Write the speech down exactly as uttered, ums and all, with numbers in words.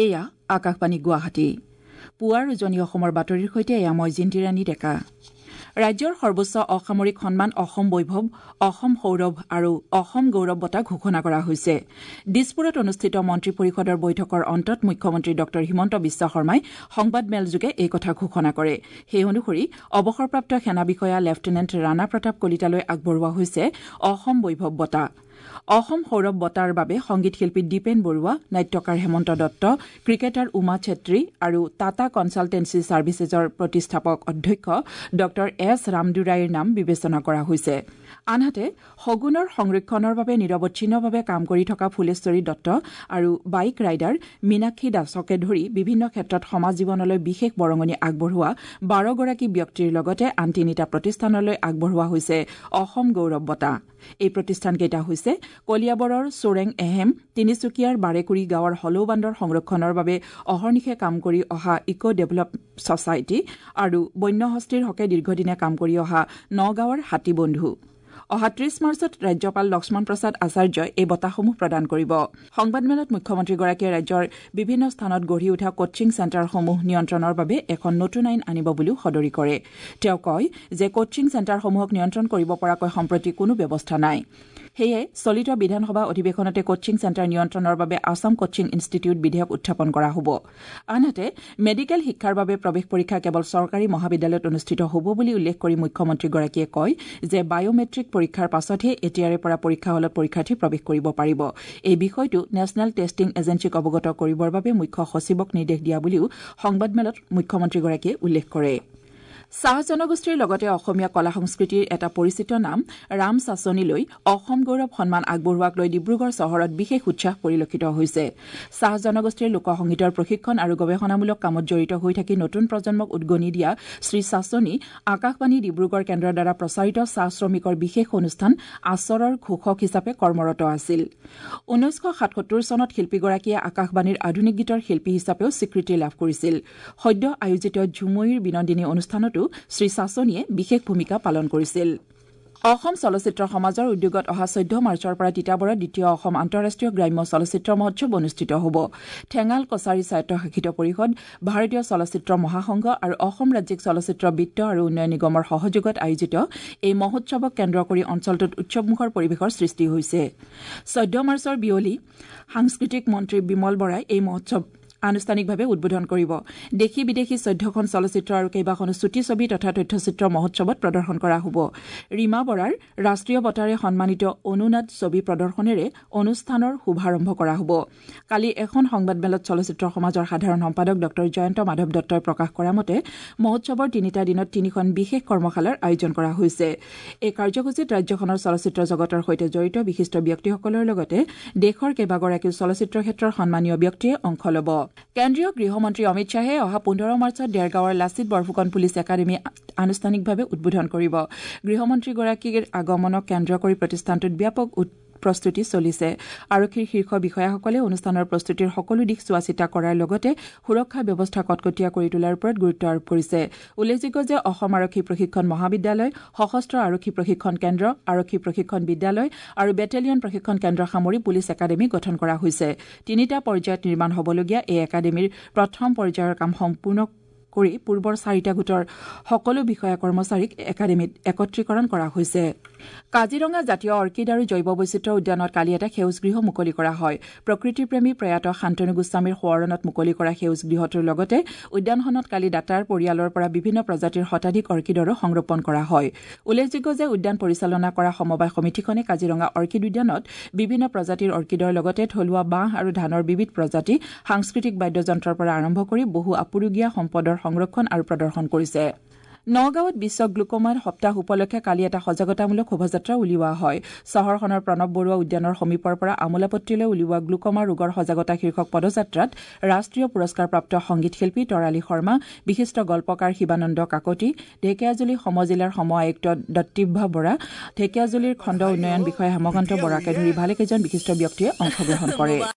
এয়া আকাশবাণী গুৱাহাটী। পুৱাৰ উজনি অসমৰ বাতৰিৰ সৈতে এয়া মই জিন্তিৰাণী ডেকা। ৰাজ্যৰ সৰ্বোচ্চ অসামৰিক সন্মান অসম বৈভৱ, অসম সৌৰভ আৰু অসম গৌৰৱ বঁটা ঘোষণা কৰা হৈছে। দিছপুৰত অনুষ্ঠিত মন্ত্ৰী পৰিষদৰ বৈঠকৰ অন্তত মুখ্যমন্ত্ৰী ডঃ হিমন্ত বিশ্ব শৰ্মাই সংবাদমেলযোগে এই কথা ঘোষণা কৰে। সেই অনুসৰি অৱসৰপ্ৰাপ্ত সেনা বিষয়া লেফটেনেণ্ট ৰাণা প্ৰতাপ কলিতালৈ আগবঢ়োৱা হৈছে অসম বৈভৱ বঁটা। অসম সৌৰভ বঁটাৰ বাবে সংগীত শিল্পী দীপেন বৰুৱা, নাট্যকাৰ হেমন্ত দত্ত, ক্ৰিকেটাৰ উমা চেত্ৰী আৰু টাটা কনছালটেন্সি ছাৰ্ভিচেছৰ প্ৰতিষ্ঠাপক অধ্যক্ষ ডঃ এছ ৰামদুৰাইৰ নাম বিবেচনা কৰা হৈছে। আনহাতে শগুনৰ সংৰক্ষণৰ বাবে নিৰৱচ্ছিন্নভাৱে কাম কৰি থকা ফুলেশ্বৰী দত্ত আৰু বাইক ৰাইডাৰ মীনাক্ষী দাসকে ধৰি বিভিন্ন ক্ষেত্ৰত সমাজ জীৱনলৈ বিশেষ বৰঙণি আগবঢ়োৱা বাৰগৰাকী ব্যক্তিৰ লগতে আন তিনিটা প্ৰতিষ্ঠানলৈ আগবঢ়োৱা হৈছে অসম গৌৰৱ বঁটা। এই প্ৰতিষ্ঠানকেইটা হৈছে কলিয়াবৰৰ চোৰেং এহেম, তিনিচুকীয়াৰ বাৰেকুৰি গাঁৱৰ হলৌবান্দৰ সংৰক্ষণৰ বাবে অহৰ্নিশে কাম কৰি অহা ইক' ডেভেলপ ছচাইটি আৰু বন্যহস্তীৰ হকে দীৰ্ঘদিনে কাম কৰি অহা নগাঁৱৰ হাতী বন্ধু। অহা ত্ৰিশ মাৰ্চত ৰাজ্যপাল লক্ষ্মণ প্ৰসাদ আচাৰ্যই এই বঁটাসমূহ প্ৰদান কৰিব। সংবাদমেলত মুখ্যমন্ত্ৰীগৰাকীয়ে ৰাজ্যৰ বিভিন্ন স্থানত গঢ়ি উঠা কোচিং চেণ্টাৰসমূহ নিয়ন্ত্ৰণৰ বাবে এখন নতুন আইন আনিব বুলিও সদৰি কৰে। তেওঁ কয় যে কোচিং চেণ্টাৰসমূহক নিয়ন্ত্ৰণ কৰিব পৰাকৈ সম্প্ৰতি কোনো ব্যৱস্থা নাই। সেয়ে চলিত বিধানসভা অধিৱেশনতে কোচিং চেণ্টাৰ নিয়ন্ত্ৰণৰ বাবে আছাম কোচিং ইনষ্টিটিউট বিধেয়ক উত্থাপন কৰা হ'ব। আনহাতে মেডিকেল শিক্ষাৰ বাবে প্ৰৱেশ পৰীক্ষা কেৱল চৰকাৰী মহাবিদ্যালয়ত অনুষ্ঠিত হ'ব বুলি উল্লেখ কৰি মুখ্যমন্ত্ৰীগৰাকীয়ে কয় যে বায়'মেট্ৰিক পৰীক্ষাৰ পাছতহে এতিয়াৰে পৰা পৰীক্ষা হলত পৰীক্ষাৰ্থী প্ৰৱেশ কৰিব পাৰিব। এই বিষয়টো নেশ্যনেল টেষ্টিং এজেঞ্চিক অৱগত কৰিবৰ বাবে মুখ্য সচিবক নিৰ্দেশ দিয়া বুলিও সংবাদমেলত মুখ্যমন্ত্ৰীগৰাকীয়ে উল্লেখ কৰে। চাহ জনগোষ্ঠীৰ লগতে অসমীয়া কলা সংস্কৃতিৰ এটা পৰিচিত নাম ৰাম চাচনীলৈ অসম গৌৰৱ সন্মান আগবঢ়োৱাক লৈ ডিব্ৰুগড় চহৰত বিশেষ উৎসাহ পৰিলক্ষিত হৈছে। চাহ জনগোষ্ঠীৰ লোকসংগীতৰ প্ৰশিক্ষণ আৰু গৱেষণামূলক কামত জড়িত হৈ থাকি নতুন প্ৰজন্মক উদগনি দিয়া শ্ৰী চাচনী আকাশবাণী ডিব্ৰুগড় কেন্দ্ৰৰ দ্বাৰা প্ৰচাৰিত চাহ শ্ৰমিকৰ বিশেষ অনুষ্ঠান আচৰৰ ঘোষক হিচাপে কৰ্মৰত আছিল। ঊনৈছশ সাতসত্তৰ চনত শিল্পীগৰাকীয়ে আকাশবাণীৰ আধুনিক গীতৰ শিল্পী হিচাপেও স্বীকৃতি লাভ কৰিছিল। সদ্য আয়োজিত ঝুমুইৰ বিনন্দিনী অনুষ্ঠানতো শ্ৰী চাচনীয়ে বিশেষ ভূমিকা পালন কৰিছিল। অসম চলচ্চিত্ৰ সমাজৰ উদ্যোগত অহা চৈধ্য মাৰ্চৰ পৰা তিতাবৰত দ্বিতীয় অসম আন্তঃৰাষ্ট্ৰীয় গ্ৰাম্য চলচ্চিত্ৰ মহোৎসৱ অনুষ্ঠিত হ'ব। ঠেঙাল কছাৰী স্বায়ত্তশাসিত পৰিষদ, ভাৰতীয় চলচ্চিত্ৰ মহাসংঘ আৰু অসম ৰাজ্যিক চলচ্চিত্ৰ বিত্ত আৰু উন্নয়ন নিগমৰ সহযোগত আয়োজিত এই মহোৎসৱক কেন্দ্ৰ কৰি অঞ্চলটোত উৎসৱমুখৰ পৰিৱেশৰ সৃষ্টি হৈছে। চৈধ্য মাৰ্চৰ বিয়লি সাংস্কৃতিক মন্ত্ৰী বিমল বৰাই এই মহোৎসৱ আনুষ্ঠানিকভাৱে উদ্বোধন কৰিব। দেশী বিদেশী চৈধ্যখন চলচ্চিত্ৰ আৰু কেইবাখনো চুটি ছবি তথা তথ্যচিত্ৰ মহোৎসৱত প্ৰদৰ্শন কৰা হ'ব। ৰীমা বৰাৰ ৰাষ্ট্ৰীয় বঁটাৰে সন্মানিত অনুনাদ ছবি প্ৰদৰ্শনেৰে অনুষ্ঠানৰ শুভাৰম্ভ কৰা হ'ব। কালি এখন সংবাদমেলত চলচ্চিত্ৰ সমাজৰ সাধাৰণ সম্পাদক ডঃ জয়ন্ত মাধৱ দত্তই প্ৰকাশ কৰা মতে মহোৎসৱৰ তিনিটা দিনত তিনিখন বিশেষ কৰ্মশালাৰ আয়োজন কৰা হৈছে। এই কাৰ্যসূচীত ৰাজ্যখনৰ চলচ্চিত্ৰ জগতৰ সৈতে জড়িত বিশিষ্ট ব্যক্তিসকলৰ লগতে দেশৰ কেইবাগৰাকীও চলচ্চিত্ৰ ক্ষেত্ৰৰ সন্মানীয় ব্যক্তিয়ে অংশ ল'ব। কেন্দ্ৰীয় গৃহমন্ত্ৰী অমিত শ্বাহে অহা পোন্ধৰ মাৰ্চত দেৰগাঁৱৰ লাচিত বৰফুকন পুলিচ একাডেমী আনুষ্ঠানিকভাৱে উদ্বোধন কৰিব। গৃহমন্ত্ৰীগৰাকীৰ আগমনক কেন্দ্ৰ কৰি প্ৰতিষ্ঠানটোত ব্যাপক প্ৰস্তুতি চলিছে। আৰক্ষীৰ শীৰ্ষ বিষয়াসকলে অনুষ্ঠানৰ প্ৰস্তুতিৰ সকলো দিশ চোৱাচিতা কৰাৰ লগতে সুৰক্ষা ব্যৱস্থা কটকটীয়া কৰি তোলাৰ ওপৰত গুৰুত্ব আৰোপ কৰিছে। উল্লেখযোগ্য যে অসম আৰক্ষী প্ৰশিক্ষণ মহাবিদ্যালয়, সশস্ত্ৰ আৰক্ষী প্ৰশিক্ষণ কেন্দ্ৰ, আৰক্ষী প্ৰশিক্ষণ বিদ্যালয় আৰু বেটেলিয়ন প্ৰশিক্ষণ কেন্দ্ৰ সামৰি পুলিচ একাডেমী গঠন কৰা হৈছে। তিনিটা পৰ্যায়ত নিৰ্মাণ হ'বলগীয়া এই একাডেমীৰ প্ৰথম পৰ্যায়ৰ কাম সম্পূৰ্ণ কৰি পূৰ্বৰ চাৰিটা গোটৰ সকলো বিষয়া কৰ্মচাৰীক একাডেমীত একত্ৰীকৰণ কৰা হৈছে। কাজিৰঙা জাতীয় অৰ্কিড আৰু জৈৱ বৈচিত্ৰ্য উদ্যানত কালি এটা সেউজ গৃহ মুকলি কৰা হয়। প্ৰকৃতিপ্ৰেমী প্ৰয়াত শান্তনু গোস্বামীৰ সোঁৱৰণত মুকলি কৰা সেউজ গৃহটোৰ লগতে উদ্যানখনত কালি দাতাৰ পৰিয়ালৰ পৰা বিভিন্ন প্ৰজাতিৰ শতাধিক অৰ্কিডৰো সংৰোপণ কৰা হয়। উল্লেখযোগ্য যে উদ্যান পৰিচালনা কৰা সমবায় সমিতিখনে কাজিৰঙা অৰ্কিড উদ্যানত বিভিন্ন প্ৰজাতিৰ অৰ্কিডৰ লগতে থলুৱা বাঁহ আৰু ধানৰ বিবিধ প্ৰজাতি, সাংস্কৃতিক বাদ্যযন্ত্ৰৰ পৰা আৰম্ভ কৰি বহু আপুৰুগীয়া সম্পদৰ সংৰক্ষণ আৰু প্ৰদৰ্শন কৰিছে। নগাঁৱত বিশ্ব গ্লুকোমা সপ্তাহ উপলক্ষে কালি এটা সজাগতামূলক শোভাযাত্ৰা উলিওৱা হয়। চহৰখনৰ প্ৰণৱ বৰুৱা উদ্যানৰ সমীপৰ পৰা আমোলাপট্টিলৈ উলিওৱা গ্লুকোমা ৰোগৰ সজাগতা শীৰ্ষক পদযাত্ৰাত ৰাষ্ট্ৰীয় পুৰস্কাৰপ্ৰাপ্ত সংগীত শিল্পী তৰালী শৰ্মা, বিশিষ্ট গল্পকাৰ শিৱানন্দ কাকতি, ঢেকীয়াজুলি সমজিলাৰ সম আয়ুক্ত দত্তিভা বৰা, ঢেকীয়াজুলিৰ খণ্ড উন্নয়ন বিষয়া হেমকান্ত বৰাকে ধৰি ভালেকেইজন বিশিষ্ট ব্যক্তিয়ে অংশগ্ৰহণ কৰে।